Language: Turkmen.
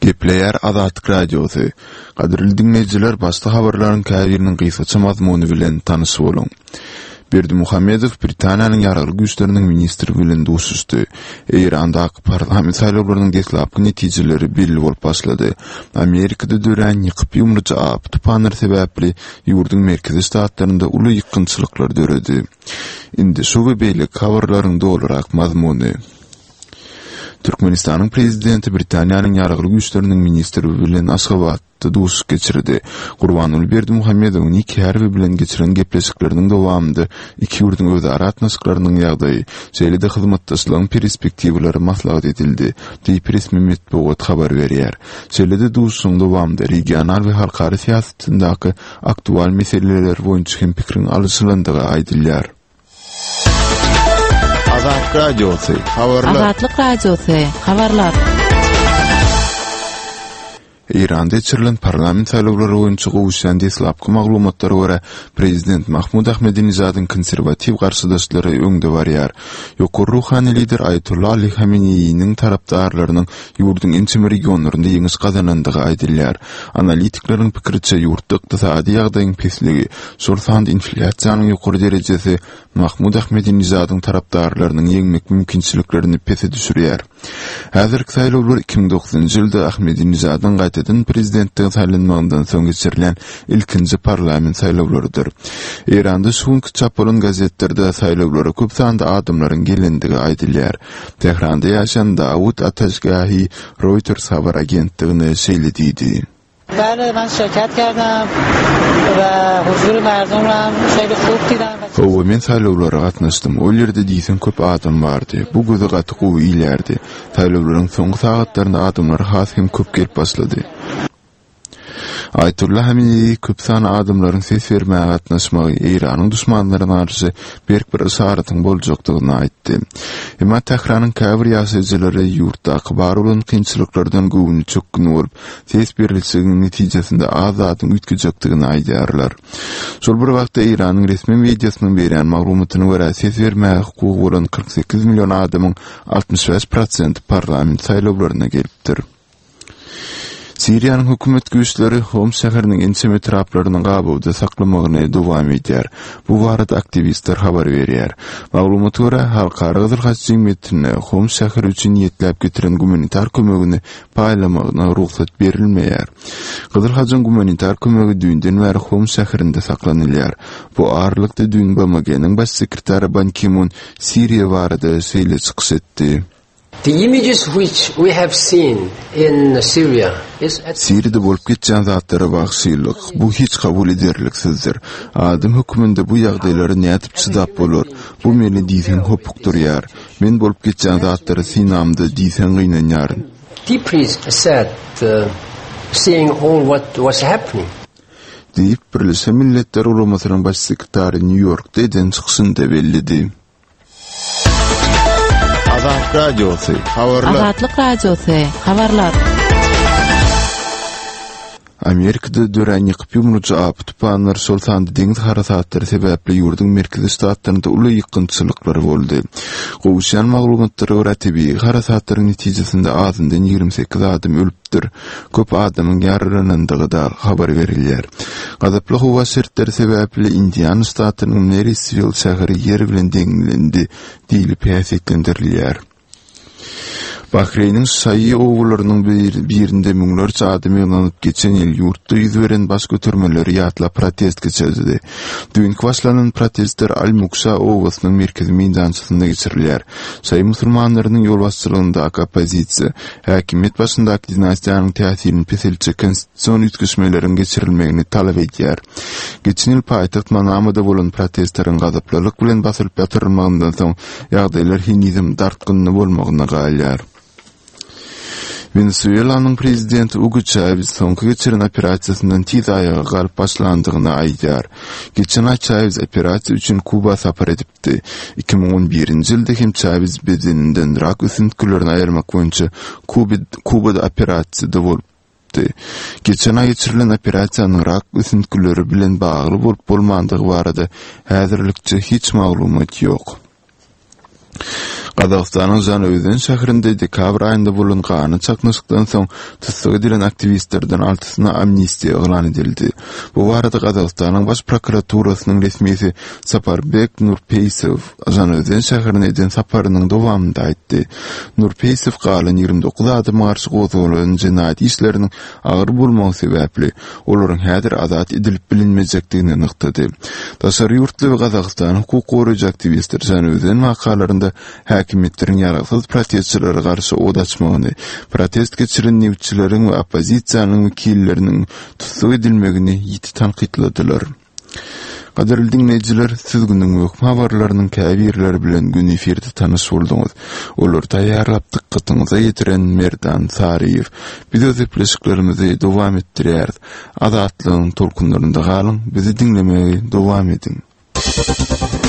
Gepleýär Azatlyk Radiosy. Gadyrly diňleýjiler, başda habarlaryň käbiriniň gysgaça mazmuny bilen tanyş boluň. Berdimuhamedow Britaniýanyň Ýaragly Güýçleriniň ministri bilen duşuşdy. Eýrandaky parlament saýlawlarynyň deslapky netijeleri belli bolup başlady. Amerikada dörän ýykyp-ýumrujy apy-tupanlar sebäpli ýurduň merkezi ştatlarynda uly ýykgynçylyklar döredi. Indi şu we beýleki habarlaryň dolurak mazmuny. Türkmenistanyň Prezidenti Britaniýanyň Ýaragly Güýçleriniň ministri bilen Aşgabatda duşuşyk geçirdi. Gurbanguly Berdimuhamedowyň Nik Harwi bilen geçiren gepleşikleriniň dowamynda iki ýurduň özara gatnaşyklarynyň ýagdaýy, şeýle-de hyzmatdaşlygyň perspektiwalary maslahat edildi, diýip resmi metbugat habar berýär. Şeýle-de duşuşygyň dowamynda regional we halkara syýasatyndaky aktual meseleler boýunça hem pikiriň alyşylandygy aýdylýar. Azat Radiosy, habarlar. Azatlyk Radiosy, habarlar. Eýranda geçirilen parlament saýlawlary boýunça gowuşýan deslapky maglumatlara görä, prezident Mahmud Ahmedinejadyň konserwatiw garşydaşlary öňde barýar. Ýokary ruhany lider Aýatolla Ali Hameneýiniň tarapdarlarynyň ýurduň ençeme regionlarynda ýeňiş gazanandygy aýdylýar. Analitikleriň pikiriçe, ýurtda ykdysady ýagdaýyň pesligi, şol sanda inflýasiýanyň ýokary derejesi Mahmud Ahmedinejadyň tarapdarlarynyň ýeňmek mümkinçiliklerini pese düşürýär. Häzirki saýlawlar 2009-njy ýylda Ahmedinejadyň gaýtadan prezidentlige saýlanmagyndan soň geçirilýän ilkinji parlament saýlawlarydyr. Eýranda şu günki çap bolan gazetlerde saýlawlara köp sanda adamlaryň gelendigi aýdylýar. Tähranda ýaşaýan Dawud Ataşgahi Reuters habar agentligine şeýle diýdi. Hawa, men saýlawlara gatnaşdym. Ol ýerde diýseň köp adam bardy. Bu göze gaty gowy ilýärdi. Saýlawlaryň soňky sagatlarynda adamlar has hem köp gelip başlady. Aýatolla Hameneýi köp sanly adamlaryň ses bermäge gatnaşmagy Eýranyň duşmanlaryna garşy berk bir yşaratyň boljakdygyny aýtdy. Emma Tähranyň käbir ýaşaýjylary ýurtdaky bar bolan kynçylyklardan göwni çökgün bolup, ses berilşigiň netijesinde az zadyň üýtgejekdigini aýdýarlar. Şol bir wagtda Eýranyň resmi mediasynyň berýän maglumatyna görä, ses bermäge hukugy bolan 48 million adamyň 65 prosenti parlament saýlawlaryna gelipdir. Siriýanyň hökümet güýçleri Homs şäheriniň ençeme etraplaryny gabawda saklamagyny dowam edýär. Bu barada aktiwistler habar berýär. Maglumata görä, Halkara Gyzyl Haç jemgyýetine Homs şäheri üçin niýetläp getiren gumanitar kömegini paýlamagyna rugsat berilmeýär. Gyzyl Hajyň gumanitar kömegi düýnden bäri Homs şäherinde saklanylýar. Bu aralykda düýn BMG-niň Baş sekretary Ban Ki-mun Siriýa barada şeýle çykyş etdi. The images which we have seen in Syria is. Siriýada bolup geçýän zatlara wagşylyk, bu hiç kabul ederliksizdir. Adam hökmünde bu ýagdaýlara nädip çydap bolar? Bu meni diýseň hopukdyrýar. Men bolup geçýän zatlary synamda diýseň gynanýaryn. Deeply sad seeing all what was happening. Diýip, Birleşen Milletler Guramasynyň Baş sekretary Nýu-Ýorkda eden çykyşynda belledi. Azat Radiosy, habarlar. Azatlyk Radiosy, habarlar. Amerikada dörän ýykyp-ýumrujy apy-tupanlar, şol sanda deňiz harasatlary sebäpli ýurduň merkezi ştatlarynda uly ýykgynçylyklar boldy. Gowuşýan maglumatlara görä, tebigy harasatlaryň netijesinde azyndan 28 adam ölüpdir. Dir. Köp adamyň ýaralanandygy-da habar berilýär. Gazaply howa şertleri sebäpli Indiana ştatynyň Meriswill şäheri ýer bilen deňlendi diýlip häsiýetlendirilýär. Bahreýniň şaýy obalarynyň birinde müňlerçe adam ýygnanyp, geçen ýyl ýurtda ýüz beren baş götermeleri ýatlap protest geçirdi. Düýnki başlanan protestler Al-Mukşa obasynyň merkezi meýdançasynda geçirilýär. Şaýy musulmanlarynyň ýolbaşçylygyndaky oppozisiýa, häkimiýet başyndaky dinastiýanyň täsirini peseltjek konstitusion üýtgeşmeleriň geçirilmegini talap edýär. Geçen ýyl paýtagt Manamada bolan protestleriň gazaplylyk bilen basylyp ýatyrylmagyndan soň, ýagdaýlar henizem dartgynly bolmagyna galýar. Wenesuelanyň prezidenti Ugo Çawes soňky geçiren operasiýasyndan tiz aýaga galyp başlandygyny aýdýar. Geçen aý Çawes operasiýa üçin Kuba sapar edipdi. 2011-nji ýylda hem Çawes bedeninden rak ösüntgilerini aýyrmak boýunça Kubada operasiýada bolupdy. Geçen aý geçirilen operasiýanyň rak ösüntgileri bilen bagly bolup-bolmandygy barada häzirlikçe hiç maglumat ýok. Gazagystanyň Žanaözen şäherinde dekabr aýynda bolan ganly çaknyşykdan soň tussag edilen aktiwistlerden altysyna amnistiýa yglan edildi. Bu barada Gazagystanyň Baş prokuraturasynyň resmisi Saparbek Nurpeýsow Žanaözen şäherine eden saparynyň dowamynda aýtdy. Nurpeýsow galan 29 adama garşy gozgalan jenaýat işleriniň agyr bolmagy sebäpli, olaryň häzir azat edilip bilinmejekdigini nygtady. Daşary ýurtly we Gazagystanyň hukuk goraýjy aktiwistleri Žanaözen wakalarynda häkimiýetleriň ýaragsyz protestçilere garşy ot açmagyny, protest geçiren nebitçileriň we oppozisiýanyň wekilleriniň tussag edilmegini ýiti tankytladylar. Gadyrly diňleýjiler, siz günüň möhüm habarlarynyň käbirleri bilen göni efirde tanyş bolduňyz. Olary taýýarlap dykgatyňyza ýetiren Merdan Saryýew. Biz öz gepleşiklerimizi dowam etdirýäris. Azatlygyň tolkunlarynda galyň, bizi diňlemegi dowam ediň.